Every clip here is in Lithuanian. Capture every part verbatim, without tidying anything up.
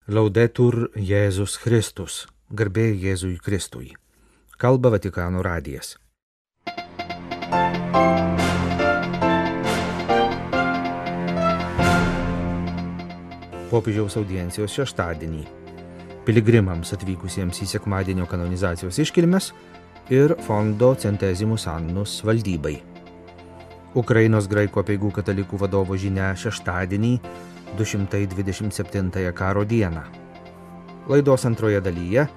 Laudetur Jėzus Kristus, garbė Jėzui Kristui. Kalba Vatikano radijas. Popiežiaus audiencijos šeštadienį. Piligrimams atvykusiems į sekmadienio kanonizacijos iškilmes ir fondo Centesimus Annus valdybai. Ukrainos graikų apeigų katalikų vadovo žinia šeštadienį, du šimtai dvidešimt septintąją karo dieną. Laidos antroje dalyje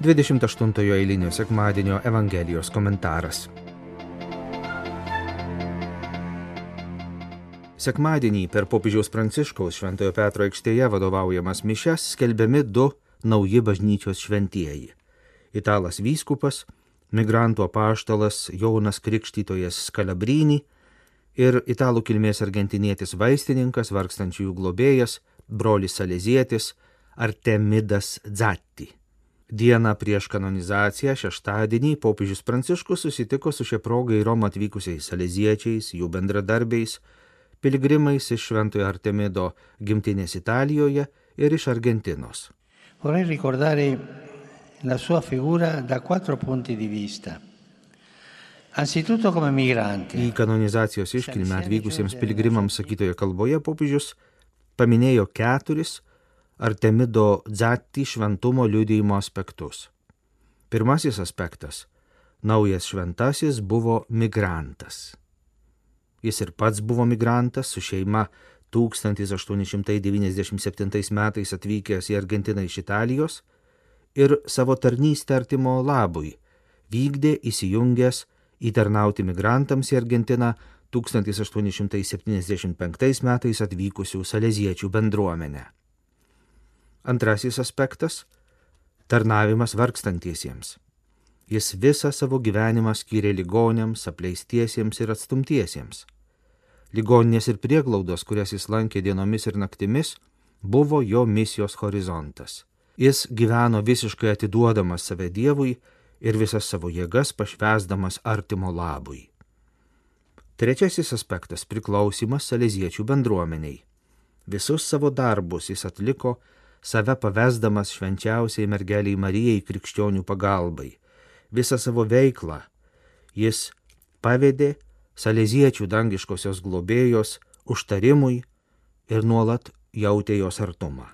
dvidešimt aštuntojo eilinio sekmadienio Evangelijos komentaras. Sekmadienį per popiežiaus Pranciškaus Šventojo Petro aikštėje vadovaujamas mišias skelbiami du nauji bažnyčios šventieji. Italas vyskupas, migrantų apaštalas Jonas Krikštytojas Scalabrini ir italų kilmės argentinietis vaistininkas, vargstančiųjų globėjas, brolis salezietis Artemidas Zatti. Dieną prieš kanonizaciją šeštadienį popiežius Pranciškus susitiko su šia proga į Romą atvykusiais saleziečiais, jų bendradarbiais, piligrimais iš Šventojo Artemido gimtinės Italijoje ir iš Argentinos. Vorrei ricordare la sua figura da quattro punti di vista. Anzitutto come migranti. Į kanonizacijos iškilmę atvykusiems piligrimams sakytoje kalboje popiežius paminėjo keturis Artemido Zatti šventumo liudijimo aspektus. Pirmasis aspektas – naujas šventasis buvo migrantas. Jis ir pats buvo migrantas, su šeima tūkstantis aštuoni šimtai devyniasdešimt septintais metais atvykęs į Argentiną iš Italijos ir savo tarnystę artimo labui vykdė įsijungęs įtarnauti migrantams į Argentiną tūkstantis aštuoni šimtai septyniasdešimt penktais metais atvykusių saleziečių bendruomenę. Antrasis aspektas – tarnavimas vargstantiesiems. Jis visą savo gyvenimą skyrė ligoniams, apleistiesiems ir atstumtiesiems. Ligoninės ir prieglaudos, kurias jis lankė dienomis ir naktimis, buvo jo misijos horizontas. Jis gyveno visiškai atiduodamas save Dievui ir visas savo jėgas pašvęsdamas artimo labui. Trečiasis aspektas – priklausymas saleziečių bendruomeniai. Visus savo darbus jis atliko, save pavesdamas švenčiausiai mergeliai Marijai krikščionių pagalbai. Visą savo veiklą jis pavedė saleziečių dangiškosios globėjos užtarimui ir nuolat jautė jos artumą.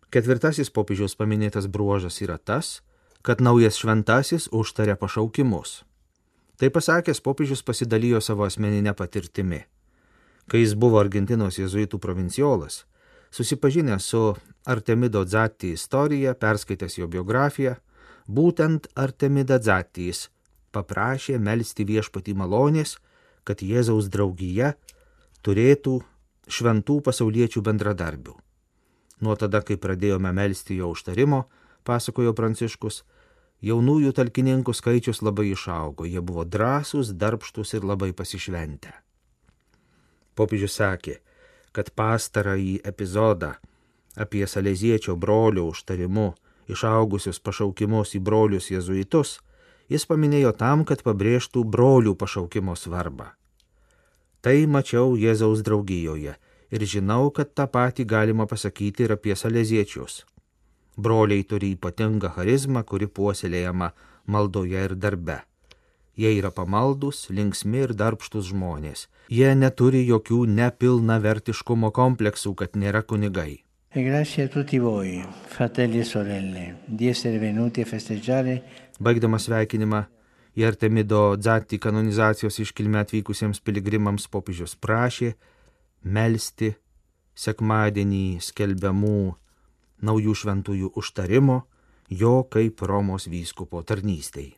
Ketvirtasis popiežiaus paminėtas bruožas yra tas, kad naujas šventasis užtaria pašaukimus. Tai pasakęs, popiežius pasidalijo savo asmeninę patirtimi. Kai jis buvo Argentinos jėzuitų provinciolas, susipažinęs su Artemido Zatti istorija, perskaitęs jo biografiją, būtent Artemida Zattis paprašė melsti viešpatį malonės, kad Jėzaus draugija turėtų šventų pasauliečių bendradarbių. Nuo tada, kai pradėjome melsti jo užtarimo, pasakojo Pranciškus, jaunųjų talkininkų skaičius labai išaugo, jie buvo drąsūs, darbštūs ir labai pasišventę. Popiežius sakė, kad pastarąjį epizodą apie saleziečio brolio užtarimu išaugusius pašaukimus į brolius jėzuitus jis paminėjo tam, kad pabrėžtų brolių pašaukimo svarbą. Tai mačiau Jėzaus draugijoje ir žinau, kad tą patį galima pasakyti ir apie saleziečius. Broliai turi ypatingą charizmą, kuri puoselėjama maldoje ir darbe. Jie yra pamaldus, linksmi ir darbštus žmonės. Jie neturi jokių nepilnavertiškumo kompleksų, kad nėra kunigai. E grazie a tutti voi, fratelli e sorelle, di essere venuti a festeggiare. Baigdamas sveikinimą į Artemido Zatti kanonizacijos iškilmę atvykusiems piligrimams popiežius prašė melsti sekmadienį skelbiamų naujų šventųjų užtarimo jo kaip Romos vyskupo tarnystei.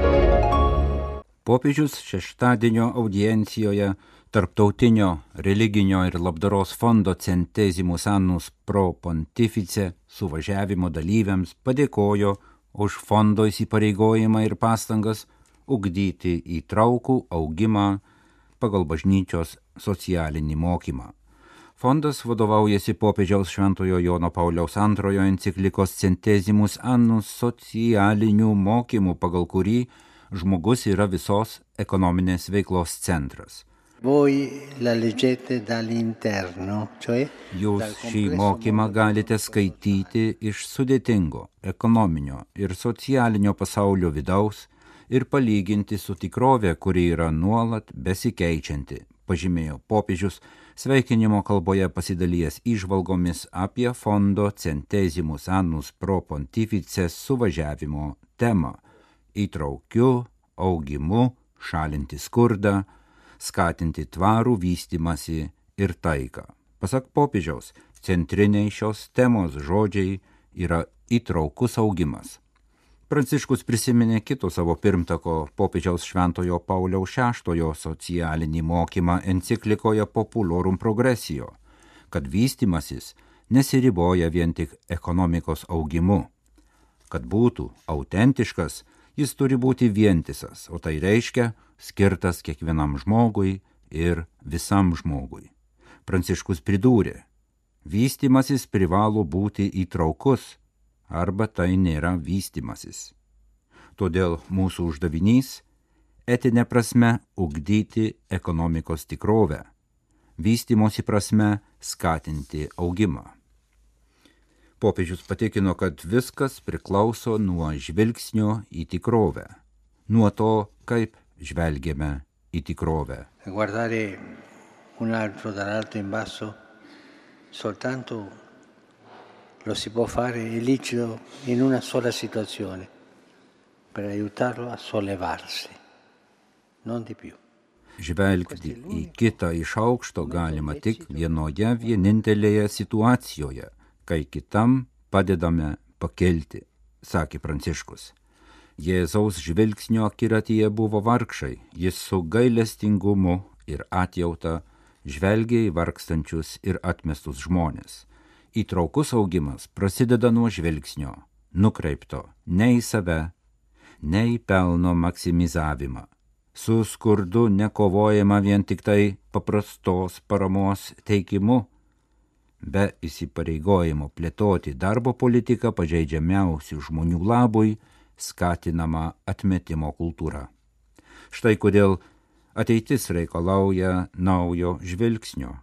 Popiežius šeštadienio audiencijoje Tarptautinio religinio ir labdaros fondo Centesimus Annus Pro Pontifice suvažiavimo dalyviams padėkojo už fondo įsipareigojimą ir pastangas ugdyti įtraukų augimą pagal bažnyčios socialinį mokymą. Fondas vadovaujasi popiežiaus Šventojo Jono Pauliaus antrojo enciklikos Centesimus Annus socialinių mokymų, pagal kurį žmogus yra visos ekonominės veiklos centras. Voi la leggete dall'interno, cioè Jūs šį mokymą galite skaityti iš sudėtingo ekonominio ir socialinio pasaulio vidaus ir palyginti su tikrove, kuri yra nuolat besikeičianti, pažymėjo popiežius, sveikinimo kalboje pasidalijęs įžvalgomis apie fondo Centesimus Annus Pro Pontifices suvažiavimo temą – įtraukiu, augimu, šalinti skurdą, skatinti tvarų vystymasi ir taiką. Pasak popiežiaus, centriniai šios temos žodžiai yra įtraukus augimas. Pranciškus prisiminė kito savo pirmtako popiežiaus Šventojo Pauliaus šeštojo socialinį mokymą enciklikoje Populorum Progressio, kad vystymasis nesiriboja vien tik ekonomikos augimu. Kad būtų autentiškas, jis turi būti vientisas, o tai reiškia skirtas kiekvienam žmogui ir visam žmogui. Pranciškus pridūrė, vystymasis privalo būti įtraukus, arba tai nėra vystymasis. Todėl mūsų uždavinys – etinė prasme ugdyti ekonomikos tikrovę, vystymosi prasme skatinti augimą. Popiežius patikino, kad viskas priklauso nuo žvilgsnio į tikrovę, nuo to, kaip žvelgiame į tikrovę. Guardare un altro dall'alto in basso soltanto lo si può fare è licito in una sola situazione, per aiutarlo a sollevarsi, non di più. Žvelgti į kitą iš aukšto galima tik vienoje vienintelėje situacijoje, kai kitam padedame pakelti, sakė Pranciškus. Jėzaus žvilgsnio akiratyje buvo vargšai, jis su gailestingumu ir atjauta žvelgia į vargstančius ir atmestus žmones. Įtraukus augimas prasideda nuo žvilgsnio, nukreipto ne į save, ne į pelno maksimizavimą. Su skurdu nekovojama vien tik tai paprastos paramos teikimu, be įsipareigojimo plėtoti darbo politiką pažeidžiamiausių žmonių labui, skatinama atmetimo kultūra. Štai kodėl ateitis reikalauja naujo žvilgsnio.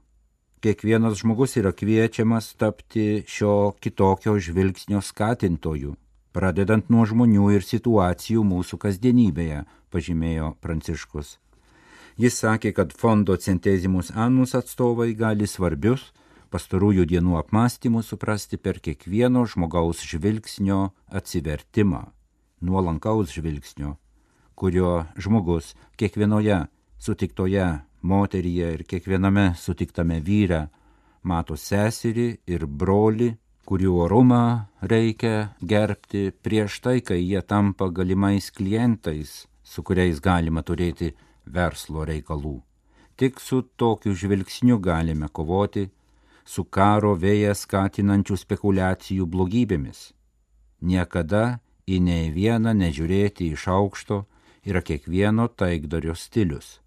Kiekvienas žmogus yra kviečiamas tapti šio kitokio žvilgsnio skatintojų, pradedant nuo žmonių ir situacijų mūsų kasdienybėje, pažymėjo Pranciškus. Jis sakė, kad fondo Centesimus Annus atstovai gali svarbius pastarųjų dienų apmąstymus suprasti per kiekvieno žmogaus žvilgsnio atsivertimą, nuolankaus žvilgsnio, kurio žmogus kiekvienoje sutiktoje moteryje ir kiekviename sutiktame vyre mato seserį ir brolį, kurių orumą reikia gerbti prieš tai, kai jie tampa galimais klientais, su kuriais galima turėti verslo reikalų. Tik su tokiu žvilgsniu galime kovoti su karo vėją skatinančių spekulacijų blogybėmis. Niekada į nei vieną nežiūrėti iš aukšto yra kiekvieno taikdario stilius,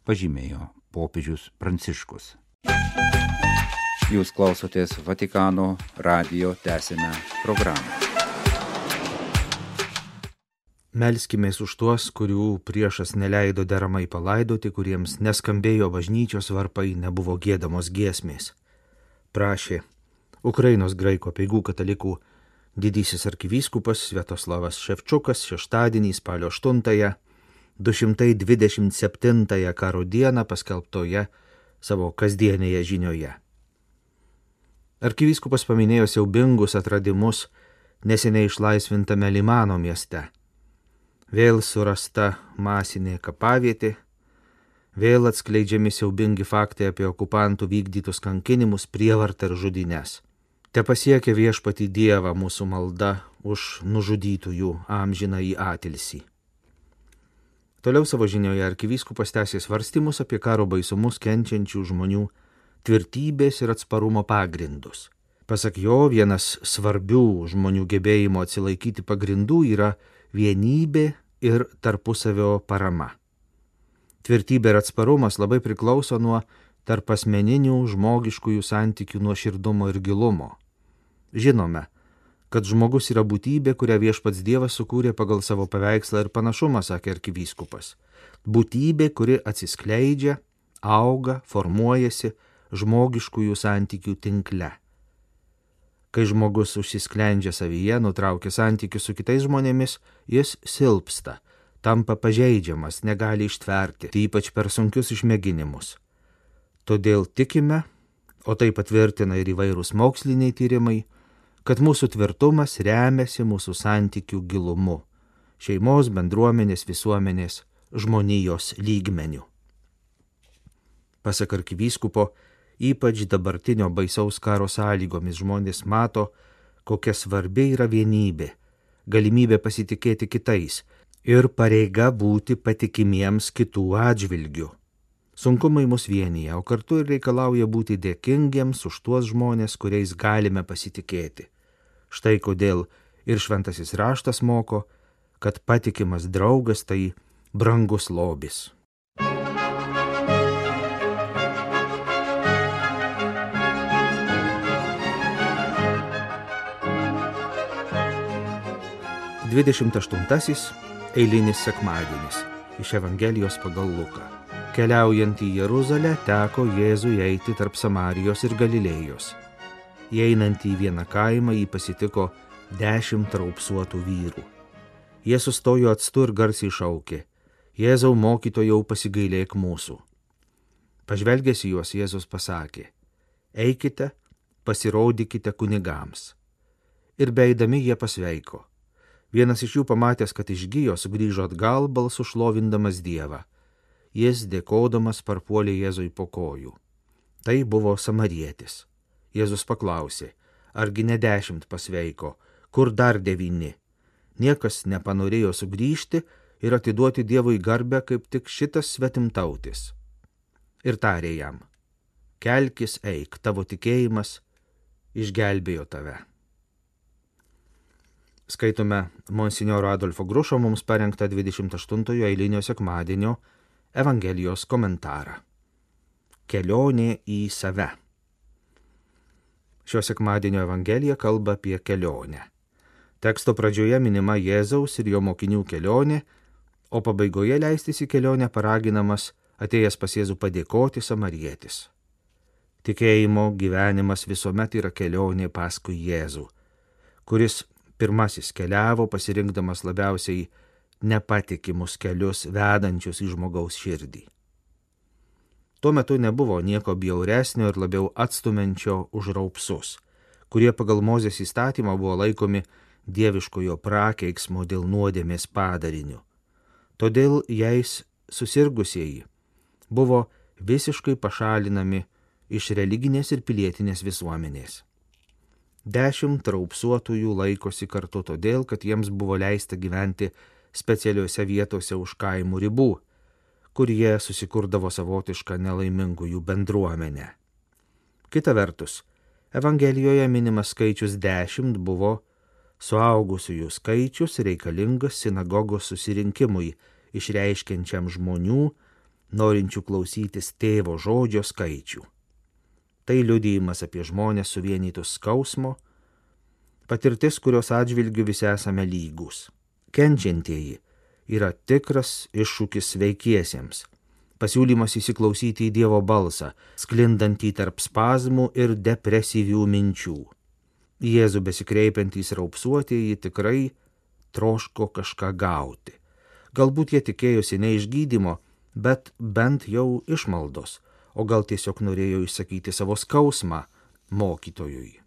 pažymėjo popiežius Pranciškus. Jūs klausotės Vatikano radijo tęsiame programą. Melskimės už tuos, kurių priešas neleido deramai palaidoti, kuriems neskambėjo bažnyčios varpai, nebuvo giedamos giesmės. Prašė Ukrainos graikų apeigų katalikų didysis arkivyskupas Sviatoslavas Ševčukas šeštadienį spalio aštuntąją du šimtai dvidešimt septintąją karo dieną paskelbtoje savo kasdienėje žinioje. Arkivyskupas paminėjo siaubingus atradimus neseniai išlaisvintame Limano mieste. Vėl surasta masinė kapavietė, vėl atskleidžiami siaubingi faktai apie okupantų vykdytus kankinimus, prievartą ir žudynes. Te pasiekia viešpatį Dievą mūsų malda už nužudytųjų amžinąjį atilsį. Toliau savo žinioje arkivyskupas tęsė svarstymus apie karo baisumus kenčiančių žmonių tvirtybės ir atsparumo pagrindus. Pasak jo, vienas svarbių žmonių gebėjimo atsilaikyti pagrindų yra vienybė ir tarpusavio parama. Tvirtybė ir atsparumas labai priklauso nuo tarp asmeninių žmogiškųjų santykių nuoširdumo ir gilumo. Žinome, kad žmogus yra būtybė, kurią viešpats Dievas sukūrė pagal savo paveikslą ir panašumą, sakė arkivyskupas. Būtybė, kuri atsiskleidžia, auga, formuojasi žmogiškųjų santykių tinkle. Kai žmogus užsisklendžia savyje, nutraukia santykius su kitais žmonėmis, jis silpsta, tampa pažeidžiamas, negali ištverti, tai ypač per sunkius išmėginimus. Todėl tikime, o tai patvirtina ir įvairūs moksliniai tyrimai, kad mūsų tvirtumas remiasi mūsų santykių gilumu, šeimos, bendruomenės, visuomenės, žmonijos lygmenių. Pasak arkivyskupo, ypač dabartinio baisaus karo sąlygomis žmonės mato, kokia svarbi yra vienybė, galimybė pasitikėti kitais ir pareiga būti patikimiems kitų atžvilgių. Sunkumai mus vienyje, o kartu ir reikalauja būti dėkingiems už tuos žmonės, kuriais galime pasitikėti. Štai kodėl ir šventasis raštas moko, kad patikimas draugas tai brangus lobis. dvidešimt aštuntasis eilinis sekmadienis iš Evangelijos pagal Luką. Keliaujant į Jeruzalę, teko Jėzui eiti tarp Samarijos ir Galilėjos. Įeinant į vieną kaimą, jį pasitiko dešimt raupsuotų vyrų. Jie sustojo atstu ir garsiai šaukė: Jėzau, mokytojau, pasigailėk mūsų. Pažvelgęs į juos, Jėzus pasakė: Eikite, pasirodykite kunigams. Ir beeidami jie pasveiko. Vienas iš jų pamatęs, kad išgijo, sugrįžo atgal balsu šlovindamas Dievą. Jis, dėkodamas, parpuolė Jėzui po kojų. Tai buvo samarietis. Jėzus paklausė: argi ne dešimt pasveiko, kur dar devyni? Niekas nepanorėjo sugrįžti ir atiduoti Dievui garbę kaip tik šitas svetimtautis. Ir tarė jam: kelkis, eik, tavo tikėjimas išgelbėjo tave. Skaitome monsinjoro Adolfo Grušo mums parengtą dvidešimt aštuntojo eilinio sekmadienio Evangelijos komentarą. Kelionė į save. Šio sekmadienio Evangelija kalba apie kelionę. Teksto pradžioje minima Jėzaus ir jo mokinių kelionė, o pabaigoje leistis į kelionę paraginamas atėjęs pas Jėzų padėkoti samarietis. Tikėjimo gyvenimas visuomet yra kelionė paskui Jėzų, kuris pirmasis keliavo, pasirinkdamas labiausiai nepatikimus kelius vedančius į žmogaus širdį. Tuo metu nebuvo nieko bjauresnio ir labiau atstumenčio už raupsus, kurie pagal Mozės įstatymą buvo laikomi dieviškojo prakeiksmo dėl nuodėmės padariniu. Todėl jais susirgusieji buvo visiškai pašalinami iš religinės ir pilietinės visuomenės. Dešimt raupsuotųjų laikosi kartu todėl, kad jiems buvo leista gyventi specialiuose vietose už kaimų ribų, kur jie susikurdavo savotišką nelaimingųjų bendruomenę. Kita vertus, Evangelijoje minimas skaičius dešimt buvo suaugusiųjų skaičius reikalingas sinagogos susirinkimui, išreiškiančiam žmonių, norinčių klausytis tėvo žodžio skaičių. Tai liudijimas apie žmonės suvienytus skausmo, patirtis, kurios atžvilgiu visi esame lygūs. Kenčiantieji yra tikras iššūkis sveikiesiems, pasiūlymas įsiklausyti į Dievo balsą, sklindantį tarp spazmų ir depresyvių minčių. Jėzų besikreipiantys raupsuotieji tikrai troško kažką gauti. Galbūt jie tikėjosi ne išgydymo, bet bent jau išmaldos, o gal tiesiog norėjo išsakyti savo skausmą mokytojui.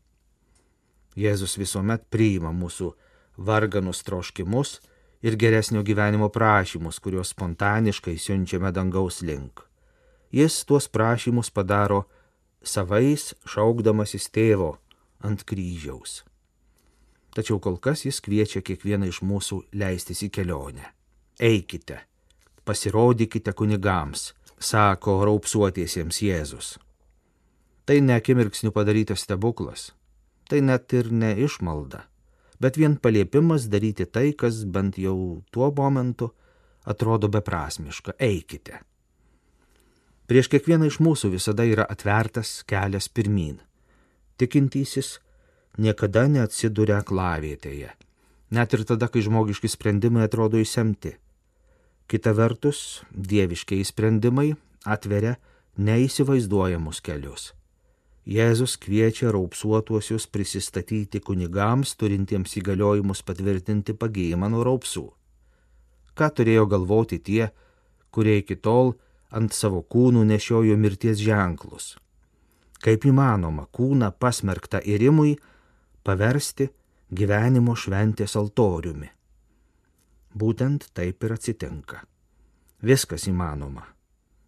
Jėzus visuomet priima mūsų varganus troškimus ir geresnio gyvenimo prašymus, kuriuos spontaniškai siunčiame dangaus link. Jis tuos prašymus padaro savais, šaukdamasis tėvo ant kryžiaus. Tačiau kol kas jis kviečia kiekvieną iš mūsų leistis į kelionę. Eikite, pasirodykite kunigams, sako raupsuotiesiems Jėzus. Tai ne akimirksniu padarytas stebuklas, tai net ir ne išmalda, bet vien paliepimas daryti tai, kas bent jau tuo momentu atrodo beprasmiška. Eikite. Prieš kiekvieną iš mūsų visada yra atvertas kelias pirmyn. Tikintysis niekada neatsiduria aklavietėje, net ir tada, kai žmogiški sprendimai atrodo išsemti. Kita vertus, dieviškiai sprendimai atveria neįsivaizduojamus kelius. Jėzus kviečia raupsuotuosius prisistatyti kunigams, turintiems įgaliojimus patvirtinti pagijimą nuo raupsų. Ką turėjo galvoti tie, kurie iki tol ant savo kūnų nešiojo mirties ženklus? Kaip įmanoma kūną pasmerktą irimui paversti gyvenimo šventės altoriumi? Būtent taip ir atsitinka. Viskas įmanoma,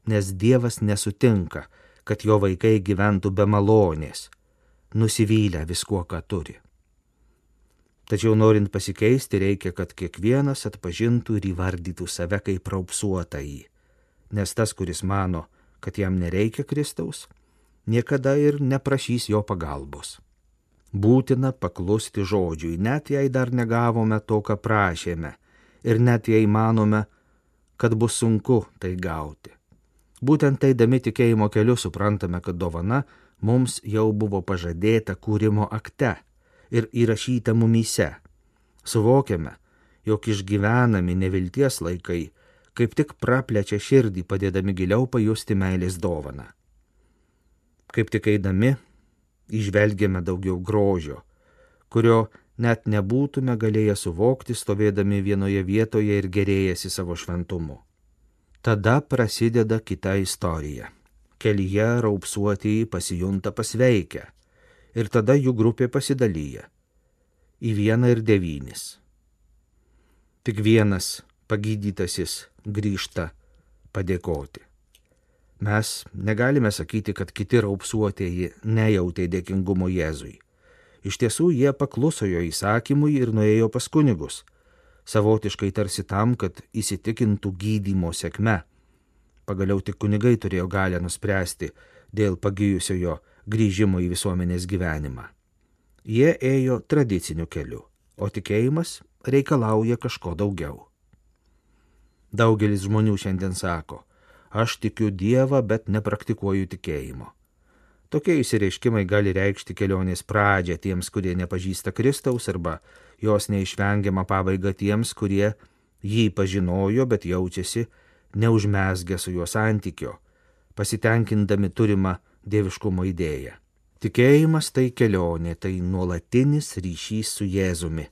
nes Dievas nesutinka, kad jo vaikai gyventų be malonės, nusivylę viskuo, ką turi. Tačiau norint pasikeisti, reikia, kad kiekvienas atpažintų ir įvardytų save kaip raupsuotąjį, nes tas, kuris mano, kad jam nereikia Kristaus, niekada ir neprašys jo pagalbos. Būtina paklusti žodžiui, net jei dar negavome to, ką prašėme, ir net jei manome, kad bus sunku tai gauti. Būtent eidami tikėjimo keliu suprantame, kad dovana mums jau buvo pažadėta kūrimo akte ir įrašyta mumyse. Suvokiame, jog išgyvenami nevilties laikai kaip tik praplečia širdį, padėdami giliau pajusti meilės dovaną. Kaip tik eidami, įžvelgiame daugiau grožio, kurio net nebūtume galėję suvokti, stovėdami vienoje vietoje ir gerėjasi savo šventumu. Tada prasideda kita istorija. Kelyje raupsuotieji pasijunta pasveikę ir tada jų grupė pasidalyja į vieną ir devynis. Tik vienas pagydytasis grįžta padėkoti. Mes negalime sakyti, kad kiti raupsuotieji nejautė dėkingumo Jėzui. Iš tiesų jie pakluso jo įsakymui ir nuėjo pas kunigus, savotiškai tarsi tam, kad įsitikintų gydymo sėkme. Pagaliau tik kunigai turėjo galią nuspręsti dėl pagijusiojo grįžimo į visuomenės gyvenimą. Jie ėjo tradiciniu keliu, o tikėjimas reikalauja kažko daugiau. Daugelis žmonių šiandien sako, aš tikiu Dievą, bet nepraktikuoju tikėjimo. Tokie išsireiškimai gali reikšti kelionės pradžią tiems, kurie nepažįsta Kristaus, arba jos neišvengiamą pabaigą tiems, kurie jį pažinojo, bet jaučiasi neužmezgę su juo santykio, pasitenkindami turimą dieviškumo idėją. Tikėjimas tai kelionė, tai nuolatinis ryšys su Jėzumi,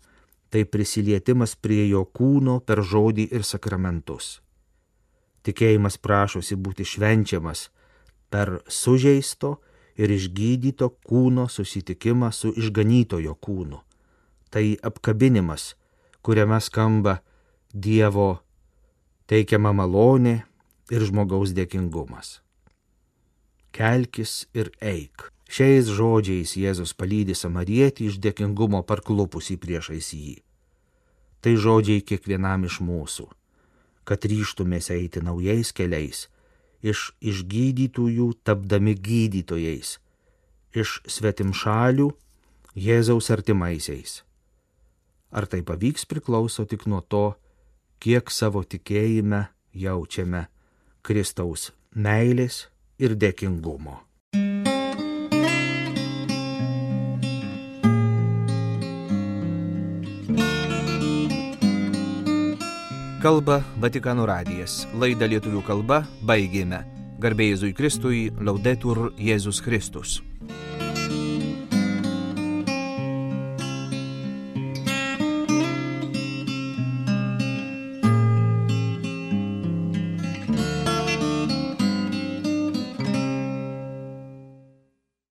tai prisilietimas prie jo kūno per žodį ir sakramentus. Tikėjimas prašosi būti švenčiamas per sužeisto ir išgydyto kūno susitikimą su išganytojo kūnu. Tai apkabinimas, kuriame skamba Dievo teikiama malonė ir žmogaus dėkingumas. Kelkis ir eik. Šiais žodžiais Jėzus palydi samarietį iš dėkingumo parklupusį priešais jį. Tai žodžiai kiekvienam iš mūsų, kad ryžtumės eiti naujais keliais, iš išgydytųjų tapdami gydytojais, iš svetimšalių Jėzaus artimaisiais. Ar tai pavyks priklauso tik nuo to, kiek savo tikėjime jaučiame Kristaus meilės ir dėkingumo. Kalba Vatikano radijas. Laidą lietuvių kalba baigėme. Garbė Jėzui Kristui, Laudetur Jėzus Kristus.